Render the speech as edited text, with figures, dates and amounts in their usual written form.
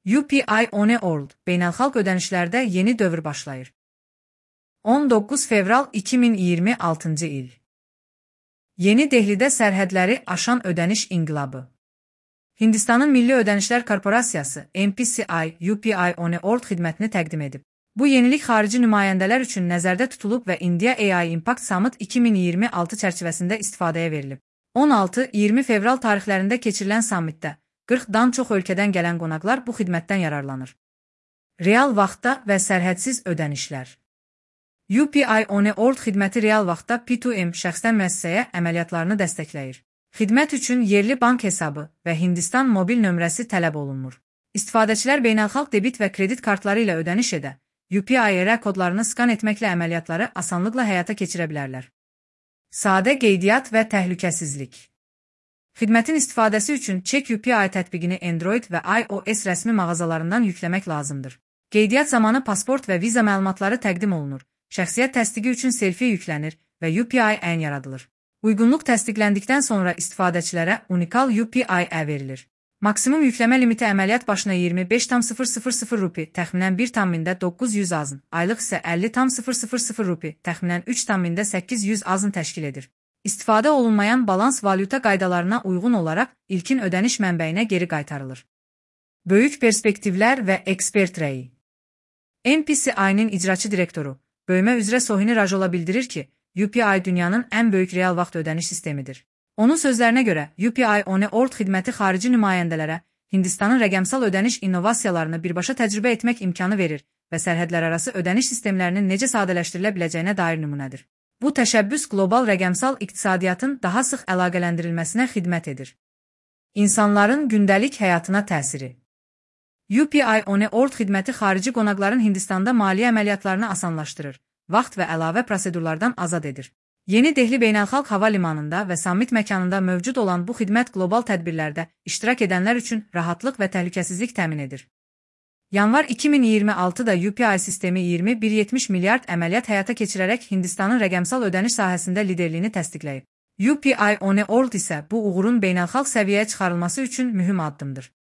UPI One World beynəlxalq ödənişlərdə yeni dövr başlayır. 19 fevral 2026-cı il. Yeni Dehlidə sərhədləri aşan ödəniş inqilabı. Hindistanın Milli Ödənişlər Korporasiyası NPCI UPI One World xidmətini təqdim edib. Bu yenilik xarici nümayəndələr üçün nəzərdə tutulub və India AI Impact Summit 2026 çərçivəsində istifadəyə verilib. 16-20 fevral tarixlərində keçirilən sammitdə 40-dan çox ölkədən gələn qonaqlar bu xidmətdən yararlanır. Real vaxtda və sərhədsiz ödənişlər. UPI One World xidməti real vaxtda P2M şəxsdən müəssisəyə əməliyyatlarını dəstəkləyir. Xidmət üçün yerli bank hesabı və Hindistan mobil nömrəsi tələb olunmur. İstifadəçilər beynəlxalq debit və kredit kartları ilə ödəniş edə, UPI kodlarını skan etməklə əməliyyatları asanlıqla həyata keçirə bilərlər. Sadə qeydiyyat və təhlükəsizlik. Xidmətin istifadəsi üçün Check UPI tətbiqini Android və iOS rəsmi mağazalarından yükləmək lazımdır. Qeydiyyat zamanı pasport və viza məlumatları təqdim olunur, şəxsiyyət təsdiqi üçün selfie yüklənir və UPI ən yaradılır. Uyğunluq təsdiqləndikdən sonra istifadəçilərə unikal UPI verilir. Maksimum yükləmə limiti əməliyyat başına 25,000 rupi, təxminən 1,900 azın, aylıq isə 50,000 rupi, təxminən 3,800 azın təşkil edir. İstifadə olunmayan balans valyuta qaydalarına uyğun olaraq ilkin ödəniş mənbəyinə geri qaytarılır. Böyük perspektivlər və ekspert rəyi. NPCI-nin icraçı direktoru, bölmə üzrə Sohini Rajola bildirir ki, UPI dünyanın ən böyük real vaxt ödəniş sistemidir. Onun sözlərinə görə, UPI One World xidməti xarici nümayəndələrə Hindistanın rəqəmsal ödəniş innovasiyalarını birbaşa təcrübə etmək imkanı verir və sərhədlərarası ödəniş sistemlərinin necə sadələşdirilə biləcəyinə dair nümunədir. Bu təşəbbüs qlobal rəqəmsal iqtisadiyyatın daha sıx əlaqələndirilməsinə xidmət edir. İnsanların gündəlik həyatına təsiri. UPI One World xidməti xarici qonaqların Hindistanda maliyyə əməliyyatlarını asanlaşdırır, vaxt və əlavə prosedurlardan azad edir. Yeni Dehli Beynəlxalq Hava Limanında və sammit məkanında mövcud olan bu xidmət qlobal tədbirlərdə iştirak edənlər üçün rahatlıq və təhlükəsizlik təmin edir. Yanvar 2026-da UPI sistemi 21,70 milyard əməliyyat həyata keçirərək Hindistanın rəqəmsal ödəniş sahəsində liderliyini təsdiqləyib. UPI One World isə bu uğurun beynəlxalq səviyyəyə çıxarılması üçün mühüm addımdır.